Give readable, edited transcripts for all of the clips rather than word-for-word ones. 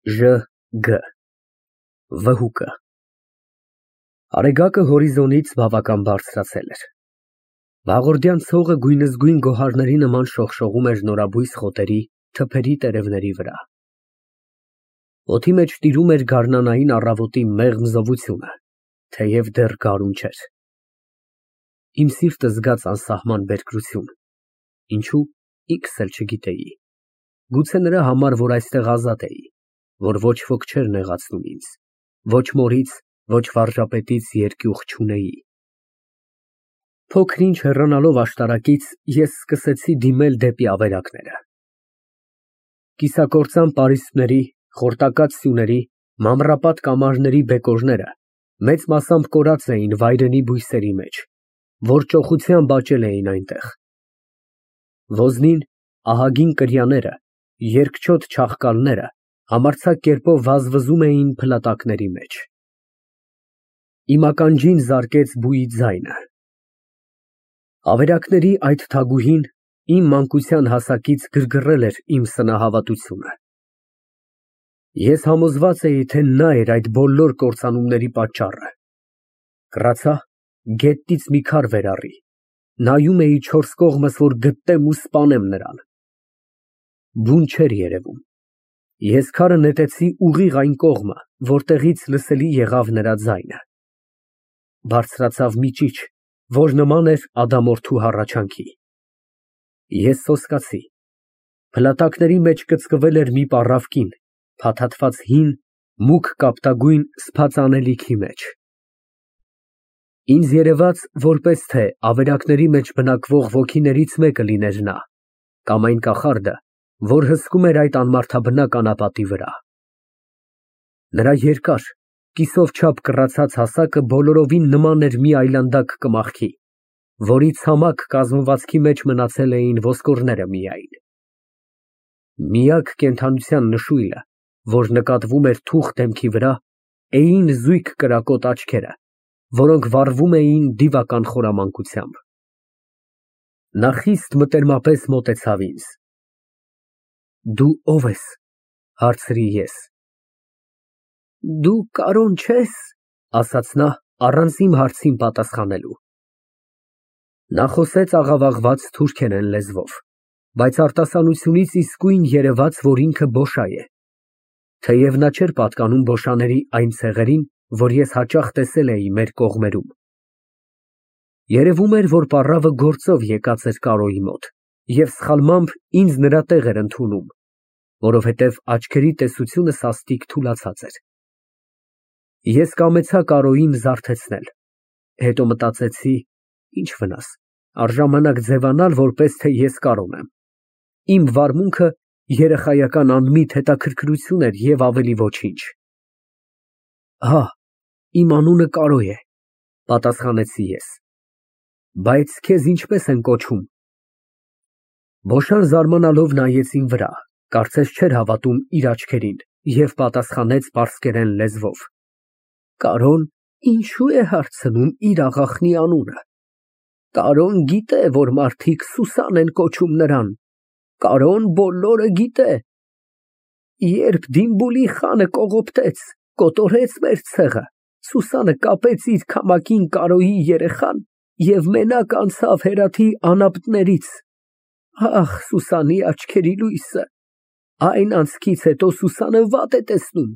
Ժ. Վհուկը Արեգակը հորիզոնից բավական բարձրացել էր։ Վաղորդյան ցողը գույնզգույն գոհարների նման շողշողում էր նորաբույս խոտերի, թփերի տերևների վրա։ Օդի մեջ տիրում էր գարնանային առավոտի մեղմ զովությունը, թեև դեռ գարուն չէր։ Իմ սիրտը զգաց անսահման բերկրություն, ինչու ինքս էլ չգիտեի, գուցե նրա համար, որ այստեղ ազատ էի, որ ոչ ոք չէր նեղացնում ինձ, ոչ մորից, ոչ վարժապետից երկյուղ չունեի։ Փոքր-ինչ հեռանալով աշտարակից, ես սկսեցի դիմել դեպի ավերակները։ Կիսակործան պարիսպների, խորտակած սյուների, մանրապատ կամարների բեկորները մեծ մասամբ կորած էին վայրենի բույսերի մեջ, որ ճոխությամբ աճել էին այնտեղ։ Ոզնին, ահագին կրյաները, երկչոտ չաղկալները համարձակ կերպով վազվզում էին փլատակների մեջ։ Իմ ականջին զարկեց բուի ձայնը։ Ավերակների այդ թագուհին իմ մանկության հասակից գրգռել էր իմ սնահավատությունը։ Ես համոզված էի, թե նա էր այդ բոլոր կործանումների պատճառը։ Կռացա, գետնից մի քար վերառի, նայում էի չորս կողմս, որ գտնեմ ու սպանեմ նրան։ Բուն չէր երևում։ Ես քարը նետեցի ուղիղ այն կողմը, որտեղից լսելի եղավ նրա ձայնը։ Բարձրացավ մի ճիչ, որ նման էր ադամորդու հառաչանքի։ Ես սոսկացի։ Փլատակների մեջ կծկվել էր մի պառավ կին, փաթաթված հին, մուգ կապտագույն սփած անելիքի մեջ։ Ինձ երևաց, որպես թե ավերակների մեջ բնակվող ոգիներից մեկը լիներ նա, կամ այն կախարդը, որ հսկում էր այդ անմարդաբնակ անապատի վրա։ Նրա երկար, կիսով չափ կռացած հասակը բոլորովին նման էր մի այլանդակ կմախքի, որի ցամաք կազմվածքի մեջ մնացել էին ոսկորները միայն։ Միակ կենդանության նշույլը, որ նկատվում էր թուխ դեմքի վրա, էին զույգ կրակոտ աչքերը, որոնք վառվում էին դիվական խորամանկությամբ։ Նա խիստ մտերմապես մոտեցավ ինձ։ Դու ո՞վ ես, հարցրի ես։ Դու Կարոն չե՞ս, ասաց նա, առանց իմ հարցին պատասխանելու։ Նա խոսեց աղավաղված թուրքերեն լեզվով, բայց արտասանությունից իսկույն երևաց, որ ինքը բոշայ է, թեև նա չէր պատկանում բոշաների այն ցեղերին, որ ես հաճախ տեսել էի մեր կողմերում։ Երևում էր, որ պառավը գործով եկած էր Կարոյի մոտ և սխալմամբ ինձ նրա տեղ էր ընդունում, որովհետև աչքերի տեսությունը սաստիկ թուլացած էր։ Ես կամեցա Կարոյին զարթեցնել, հետո մտածեցի, ինչ վնաս, առժամանակ ձևանալ, որպես թե ես Կարոն եմ։ Իմ վարմունքը երեխայական անմիտ հետաքրքրություն էր և ավելի ոչինչ։ Հա, իմ անունը Կարո է, պատասխանեցի ես։ Բայց քեզ ինչպես են կոչում։ Բոշան զարմանալով նայեց իմ վրա, կարծես չէր հավատում իր աչքերին և պատասխանեց պարսկերեն լեզվով։ Կարոն ինչու է հարցնում իր աղախնի անունը։ Կարոն գիտե, որ մարդիկ Սուսան են կոչում նրան։ Կարոն բոլորը գիտե։ Երբ Դիմբուլի խանը կողոպտեց, կոտորեց մեր ցեղը, Սուսանը կապեց իր քամակին Կարոյի երեխան և մենակ անցավ Հերաթի անապտներից։ Ահ, Սուսանի աչքերի լույսը, այն անցքից հետո Սուսանը վատ է տեսնում։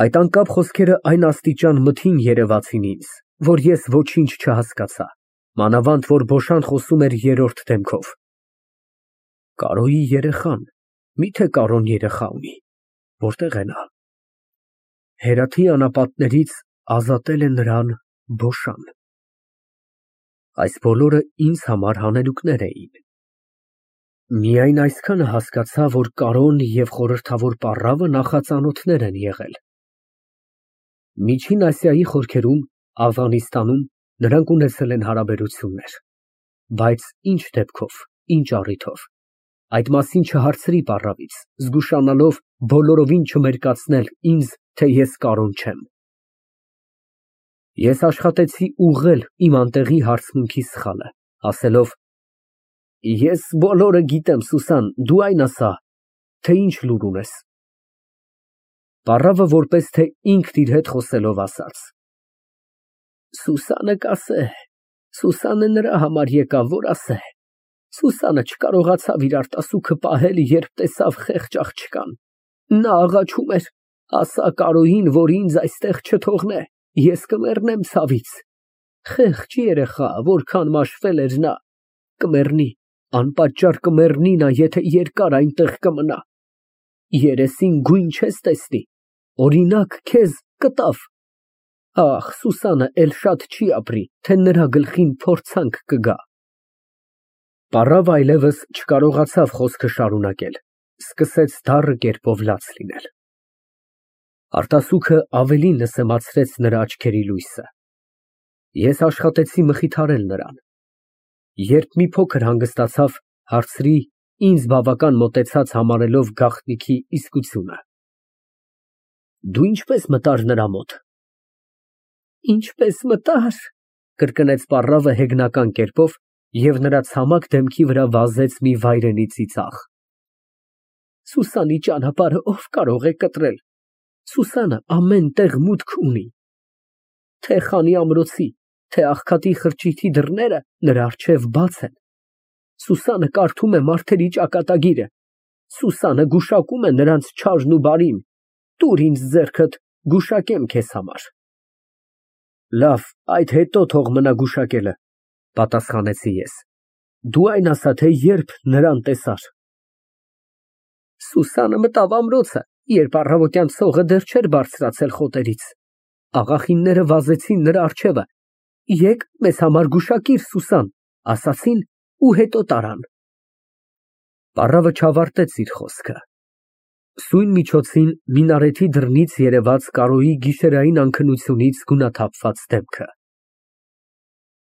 Այդ անկապ խոսքերը այն աստիճան մթին երևացին ինձ, որ ես ոչինչ չհասկացա, մանավանդ որ բոշան խոսում էր երրորդ դեմքով։ Կարոյի երեխան, միթե Կարոն երեխա ունի, որտե՞ղ է նա։ Հերաթի անապատներից ազատել է նրան բոշան։ Այս բոլորը ինձ համար հանելուկներ էին։ Միայն այսքանը հասկացա, որ Կարոն և խորհրդավոր պառավը նախածանոթներ են եղել։ Միջին Ասիայի խորքերում, Աֆղանստանում նրանք ունեցել են հարաբերություններ, բայց ինչ դեպքով, ինչ առիթով, այդ մասին չհարցրի պառավից, զգուշանալով բոլորովին չմերկացնել ինձ, թե ես Կարոն չեմ։ Ես աշխատեցի ուղղել իմ անտեղի հարցմունքի սխալը, ասելով. Ես բոլորը գիտեմ, Սուսան, դու այն ասա, թե ինչ լուր ունես։ Պառավը որպես թե ինքն իր հետ խոսելով ասաց. Սուսանը կասե, Սուսանը նրա համար եկավ, որ ասե, Սուսանը չկարողացավ իր արտասուքը պահել, երբ տեսավ խեղճ աղջկան, նա աղաչում էր, ասա Կարոյին, որ ինձ այստեղ չթողնե, ես կմեռնեմ ցավից, խեղճ երեխա, որքան մաշվել էր նա, կմեռնի, անպատճառ կմեռնի նա, եթե երկար այնտեղ կմնա, երեսին գույն չես տեսնի, օրինակ քեզ կտավ, ախ, Սուսանը էլ շատ չի ապրի, թե նրա գլխին փորձանք կգա։ Պառավը այլևս չկարողացավ խոսքը շարունակել, սկսեց դառը կերպով լաց լինել։ Արտասուքը ավելի նսեմացրեց նրա աչքերի լույսը։ Ես աշխատեցի մխիթարել նրան։ Երբ մի փոքր հանգստացավ, հարցրի, ինձ բավական մոտեցած համարելով գաղտնիքի իսկությունը։ Դու ինչպես մտար նրա մոտ։ Ինչպես մտար, կրկնեց պառավը հեգնական կերպով և նրա ցամաք դեմքի վրա վազեց մի վայրենի ծիծաղ։ Սուսանի ճանապարհը ով կարող է կտրել, Սուսանը ամեն տեղ մուտք ունի, թե խանի ամրոցի, թե աղքատի խրճիթի դռները նրա առջև բաց են, Սուսանը կարդում է մարդերի ճակատագիրը, Սուսանը գուշակում է նրանց չարն ու բարին, տուր ինձ ձեռքդ, գուշակեմ քեզ համար։ Լավ, այդ հետո թող մնա գուշակելը, պատասխանեցի ես, դու այն ասա, թե երբ նրան տեսար։ Սուսանը մտավ ամրոցը, երբ առավոտյան ցողը դեռ չէր բարձրացել խոտերից, աղախինները վազեցին նրա առջևը, եկ մեզ համար գուշակիր Սուսան, ասացին ու հետո տարան։ Պառավը չավարտեց իր խոսքը։ Սույն միջոցին մինարեթի դռնից երևաց Կարոյի գիշերային անքնությունից գունաթափված դեմքը։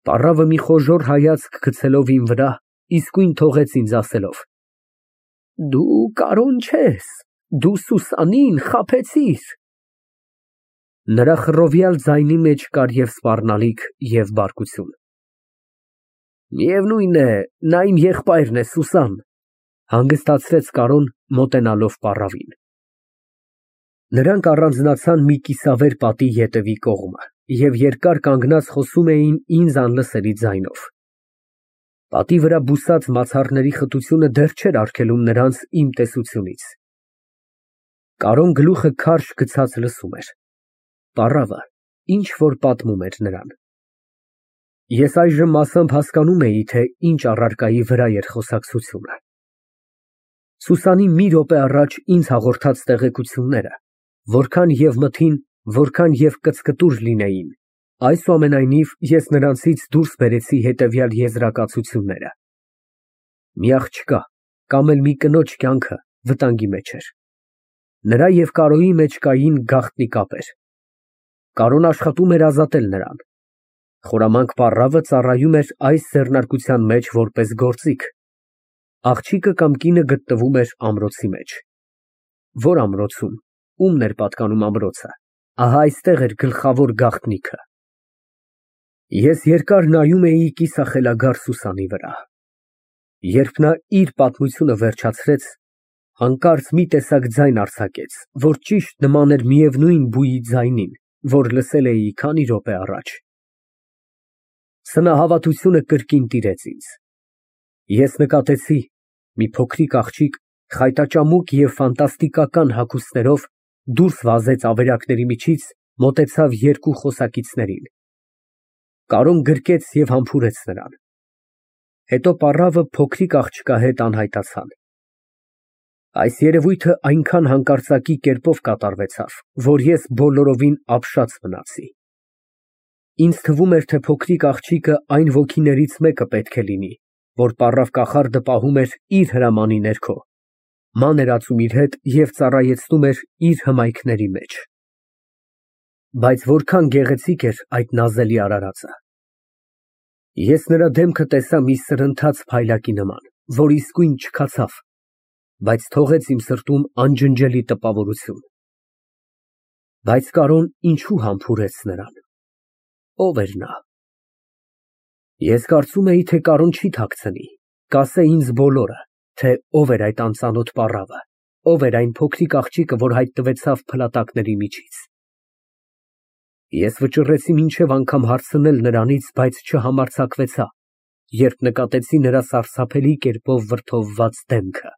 Պառավը մի խոժոռ հայացք գցելով իմ վրա, իսկույն թողեց ինձ ասելով. Դու Կարոն չես, դու Սուսանին խաբեցիր։ Նրա խռովյալ ձայնի մեջ կար և սպառնալիք, և բարկություն։ Միևնույն է, նա իմ եղբայրն է, Սուսան, հանգստացրեց Կարոն, մոտենալով պառավին։ Նրանք առանձնացան մի կիսավեր պատի ետևի կողմը և երկար կանգնած խոսում էին ինձ անլսելի ձայնով։ Պատի վրա բուսած մացառների խտությունը դեռ չէր արգելում նրանց իմ տեսությունից։ Կարոն գլուխը քարշ գցած լսում էր։ Պառավը ինչ որ պատմում էր նրան։ Ես այժմ մասամբ հասկանում էի, թե ինչ առարկայի վրա էր խոսակցությունը։ Սուսանի մի րոպե առաջ ինձ հաղորդած տեղեկությունները, որքան և մթին, որքան և կծկտուր լինեին, այսուամենայնիվ ես նրանցից դուրս բերեցի հետևյալ եզրակացությունները. մի աղջկա կամ էլ մի կնոջ կյանքը վտանգի մեջ էր։ Նրա և Կարոյի մեջ կային գաղտնի կապեր։ Կարոն աշխատում էր ազատել նրան։ Խորամանկ պառավը ծառայում էր այս ձեռնարկության մեջ որպես գործիք։ Աղջիկը կամ կինը գտնվում էր ամրոցի մեջ։ Որ ամրոցում, ումն էր պատկանում ամրոցը, ահա այստեղ էր գլխավոր գաղտնիքը։ Ես երկար նայում էի կիսախելագար Սուսանի վրա։ Երբ նա իր պատմությունը վերջացրեց, հանկարծ մի տեսակ ձայն արձակեց, որ ճիշտ նման էր միևնույն բուի ձայնին, որ լսել էի քանի րոպե առաջ։ Սնահավատությունը կրկին տիրեց ինձ։ Ես նկատեցի մի փոքրիկ աղջիկ խայտաճամուկ և ֆանտաստիկական հագուստներով դուրս վազեց ավերակների միջից, մոտեցավ երկու խոսակիցներին։ Կարոն գրկեց և համբուրեց նրան։ Հետո պառավը փոքրիկ աղջկա հետ անհայտացան։ Այս երևույթը այնքան հանկարծակի կերպով կատարվեցավ, որ ես բոլորովին ապշած մնացի։ Ինձ թվում էր, թե փոքրիկ աղջիկը այն ոգիներից մեկը պետք է լինի, որ պառավ կախարդը պահում էր իր հրամանի ներքո, ման էր ածում իր հետ և ծառայեցնում էր իր հմայքների մեջ։ Բայց որքան գեղեցիկ էր այդ նազելի արարածը։ Ես նրա դեմքը տեսա մի սրընթաց փայլակի նման, որ իսկույն չքացավ, բայց թողեց իմ սրտում անջնջելի տպավորություն։ Բայց Կարոն ինչու համբուրեց նրան։ Ո՞վ էր նա։ Ես կարծում էի, թե Կարոն չի թաքցնի, կասե ինձ բոլորը, թե ով էր այդ անծանոթ պառավը, ով էր այն փոքրիկ աղջիկը, որ հայտնվեցավ փլատակների միջից։ Ես վճռեցի մինչև անգամ հարցնել նրանից, բայց չհամարձակվեցա, երբ նկատեցի նրա սարսափելի կերպով վրդովված դեմքը։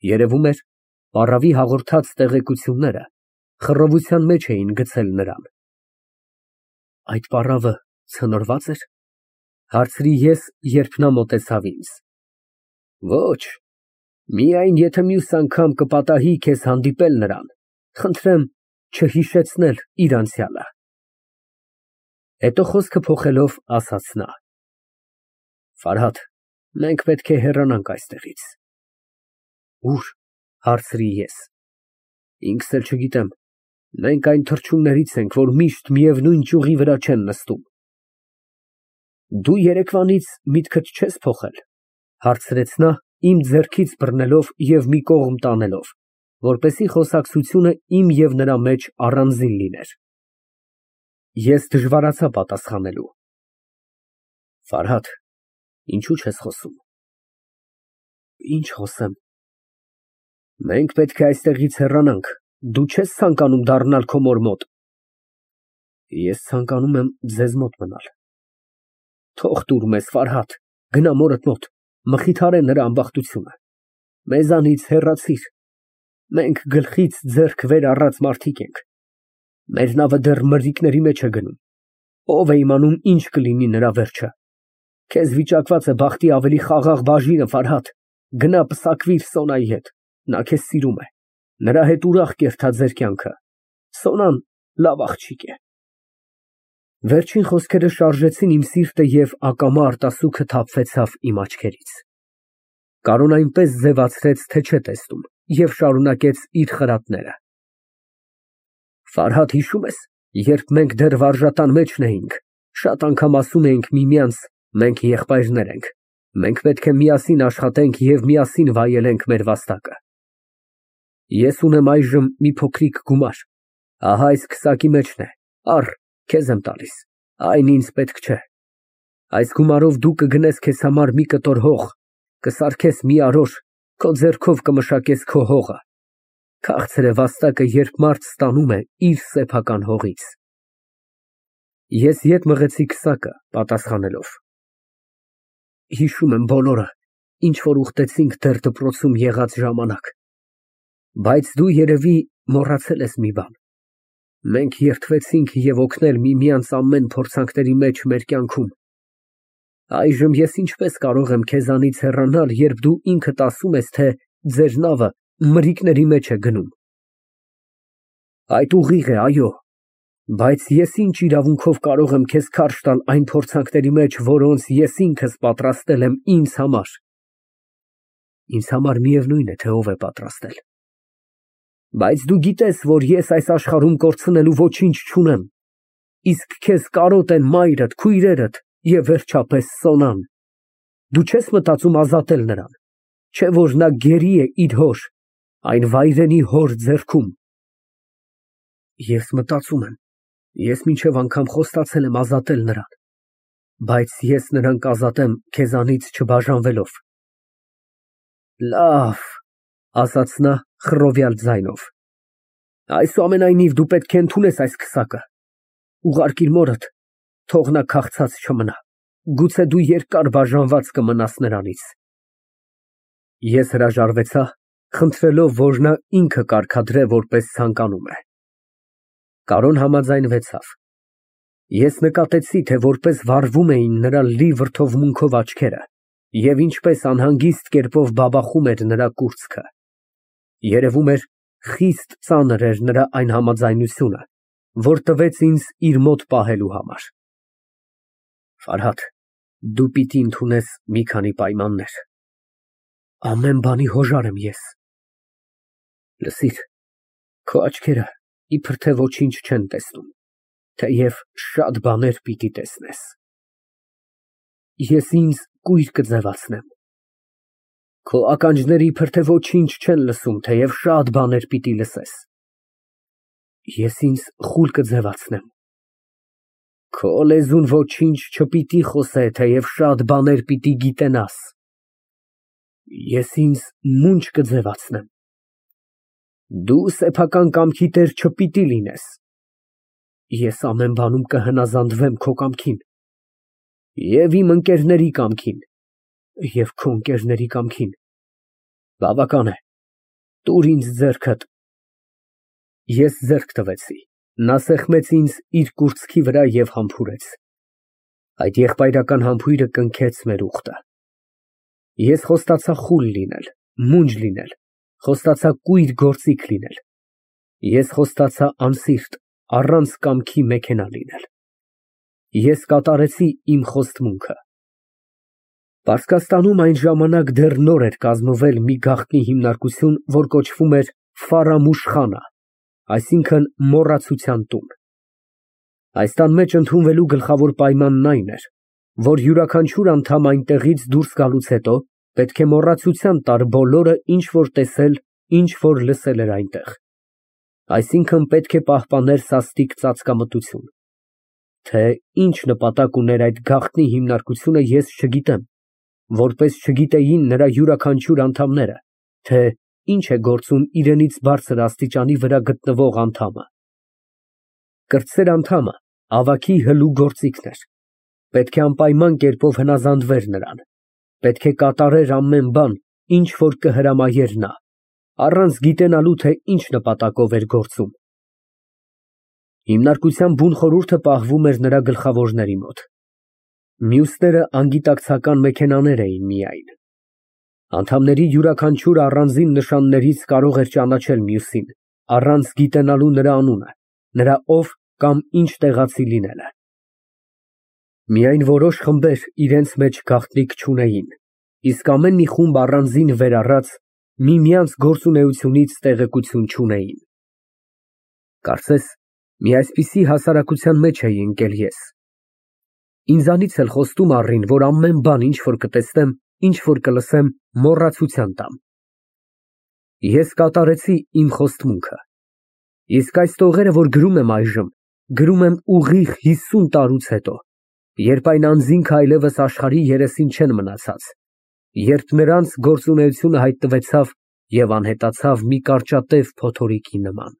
Երևում էր, պառավի հաղորդած տեղեկությունները խռովության մեջ էին գցել նրան։ Այդ պառավը ցնորվա՞ծ էր, հարցրի ես, երբ նա մոտեցավ ինձ։ Ոչ, միայն եթե մյուս անգամ կպատահի քեզ հանդիպել նրան, խնդրեմ չհիշեցնել իր անցյալը։ Հետո խոսքը փոխելով ասաց նա. Ֆարհադ, մենք պետք է հեռանանք այստեղից։ Ո՞ւր, հարցրի ես։ Ինքս էլ չգիտեմ, մենք այն թռչուններից ենք, որ միշտ միևնույն ճյուղի վրա չեն նստում։ Դու երեկվանից միտքդ չես փոխել, հարցրեց նա, իմ ձեռքից բռնելով և մի կողմ տանելով, որպեսզի խոսակցությունը իմ և նրա մեջ առանձին լիներ։ Ես դժվարացա պատասխանելու։ Ֆարհադ, ինչու չես խոսում։ Ինչ խոսեմ։ Մենք պետք է այստեղից հեռանանք, դու չես ցանկանում դառնալ քո մոր մոտ։ Ես ցանկանում եմ ձեզ մոտ մնալ։ Թող տուր մեզ, Ֆարհադ, գնա մորդ մոտ, մխիթարե նրա ամբախտությունը։ Մեզանից հեռացիր։ Մենք գլխից ձեռք վեր առած մարդիկ ենք։ Մեր նավը դեռ մրրիկների մեջ է գնում։ Ով է իմանում ինչ կլինի նրա վերջը։ Քեզ վիճակված է բախտի ավելի խաղաղ բաժինը, Ֆարհադ, գնա պսակվիր Սոնայի հետ, նա քեզ սիրում է, նրա հետ ուրախ կերթա ձեր կյանքը, Սոնան լավ աղջիկ է։ Վերջին խոսքերը շարժեցին իմ սիրտը և ակամա արտասուքը թափվեցավ իմ աչքերից։ Կարոն այնպես ձևացրեց, թե չէ տեսնում, և շարունակեց իր խրատները։ Ֆարհադ, հիշո՞ւմ ես, երբ մենք դեռ վարժատան մեջն էինք, շատ անգամ ասում էինք միմյանց, մենք եղբայրներ ենք, մենք պետք է միասին աշխատենք և միասին վայելենք մեր վաստակը։ Ես ունեմ այժմ մի փոքրիկ գումար, ահա այս քսակի մեջն է, առ, քեզ եմ տալիս, այն ինձ պետք չէ։ Այս գումարով դու կգնես քեզ համար մի կտոր հող, կսարքես մի արոր, քո ձեռքով կմշակես քո հողը։ Քաղցր է վաստակը, երբ մարդ ստանում է իր սեփական հողից։ Ես ետ մղեցի քսակը, պատասխանելով. Հիշում եմ բոլորը, ինչ որ ուխտեցինք դեռ դպրոցում եղած ժամանակ, բայց դու երևի մոռացել ես մի բան. մենք երդվեցինք և օգնել միմյանց ամեն փորձանքների մեջ մեր կյանքում։ Այժմ ես ինչպես կարող եմ քեզանից հեռանալ, երբ դու ինքդ ասում ես, թե ձեր նավը մրրիկների մեջ է գնում։ Այդ ուղիղ է, այո, բայց ես ինչ իրավունքով կարող եմ քեզ քարշ տալ այն փորձանքների մեջ, որոնց ես ինքս պատրաստել եմ ինձ համար։ Ինձ համար միևնույն է, թե ով է պատրաստել։ Բայց դու գիտես, որ ես այս աշխարհում կորցնելու ոչինչ չունեմ, իսկ քեզ կարոտ են մայրդ, քույրերդ և վերջապես Սոնան։ Դու չես մտածում ազատել նրան, չէ՞ որ նա գերի է իր հոր, այն վայրենի հոր ձեռքում։ Ես մտածում եմ, ես մինչև անգամ խոստացել եմ ազատել նրան, բայց ես նրան կազատեմ քեզանից չբաժանվելով։ Լավ, ասաց նա խռովյալ ձայնով, այսուամենայնիվ դու պետք է ընդունես այս քսակը, ուղարկիր մորդ, թող նա քաղցած չմնա, գուցե դու երկար բաժանված կմնաս նրանից։ Ես հրաժարվեցա, խնդրելով, որ նա ինքը կարգադրե, որպես ցանկանում է։ Կարոն համաձայնվեցավ։ Ես նկատեցի, թե որպես վառվում էին նրա լի վրդովմունքով աչքերը և ինչպես անհանգիստ կերպով բաբախում էր նրա կուրծքը։ Երևում էր, խիստ ծանր էր նրա այն համաձայնությունը, որ տվեց ինձ իր մոտ պահելու համար։ Ֆարհադ, դու պիտի ընդունես մի քանի պայմաններ։ Ամեն բանի հոժար եմ ես։ Լսիր, քո աչքերը իբր թե ոչինչ չեն տեսնում, թեև շատ բաներ պիտի տեսնես։ Ես ինձ կույր կձևացնեմ։ Քո ականջները իբր թե ոչինչ չեն լսում, թեև շատ բաներ պիտի լսես։ Ես ինձ խուլ կձևացնեմ։ Քո լեզուն ոչինչ չպիտի խոսե, թեև շատ բաներ պիտի գիտենաս։ Ես ինձ մունջ կձևացնեմ։ Դու սեփական կամքի տեր չպիտի լինես։ Ես ամեն բանում կհնազանդվեմ քո կամքին, և իմ ընկերների կամքին, և քո ընկերների կամքին։ Բավական է, տուր ինձ ձեռքդ։ Ես ձեռք տվեցի, նա սեղմեց ինձ իր կուրծքի վրա և համբուրեց։ Այդ եղբայրական համբույրը կնքեց մեր ուխտը։ Ես խոստացա խուլ լինել, մունջ լինել, խոստացա կույր գործիք լինել։ Ես խոստացա անսիրտ, առանց կամքի մեքենա լինել։ Ես կատարեցի իմ խոստմունքը։ Պարսկաստանում այն ժամանակ դեռ նոր էր կազմվել մի գաղտնի հիմնարկություն, որ կոչվում էր Ֆարամուշ խանա, այսինքն մոռացության տուն։ Այս տան մեջ ընդունվելու գլխավոր պայմանն այն էր, որ յուրաքանչյուր անդամ այնտեղից դուրս գալուց հետո պետք է մոռացության տար բոլորը, ինչ որ տեսել, ինչ որ լսել էր այնտեղ, այսինքն պետք է պահպաներ սաստիկ ծածկամտություն։ Թե ինչ նպատակ ուներ այդ գաղտնի հիմնարկությունը, ես չգիտեմ, որպես չգիտեին նրա յուրաքանչյուր անդամները, թե ինչ է գործում իրենից բարձր աստիճանի վրա գտնվող անդամը։ Կրտսեր անդամը ավագի հլու գործիքն էր, պետք է անպայման կերպով հնազանդվեր նրան, պետք է կատարեր ամեն բան, ինչ որ կհրամայեր նա, առանց գիտենալու, թե ինչ նպատակով էր գործում։ Հիմնարկության բուն խորհուրդը պահվում էր նրա գլխավորների մոտ։ Մյուսները անգիտակցական մեքենաներ էին միայն։ Անդամների յուրաքանչյուր առանձին նշաններից կարող էր ճանաչել մյուսին, առանց գիտենալու նրա անունը, նրա ով կամ ինչ տեղացի լինելը։ Միայն որոշ խմբեր իրենց մեջ գաղտնիք չունեին, իսկ ամեն մի խումբ առանձին վեր առած միմյանց գործունեությունից տեղեկություն չունեին։ Կարծես մի այսպիսի հասարակության մեջ էի ընկել ես։ Ինձանից էլ խոստում առին, որ ամեն բան, ինչ որ կտեսնեմ, ինչ որ կլսեմ, մոռացության տամ։ Ես կատարեցի իմ խոստմունքը։ Իսկ այս տողերը, որ գրում եմ այժմ, գրում եմ ուղիղ 50 տարուց հետո, երբ այն անձինք այլևս աշխարհի երեսին չեն մնացած, երբ նրանց գործունեությունը հայտնվեցավ և անհետացավ մի կարճատև փոթորիկի նման։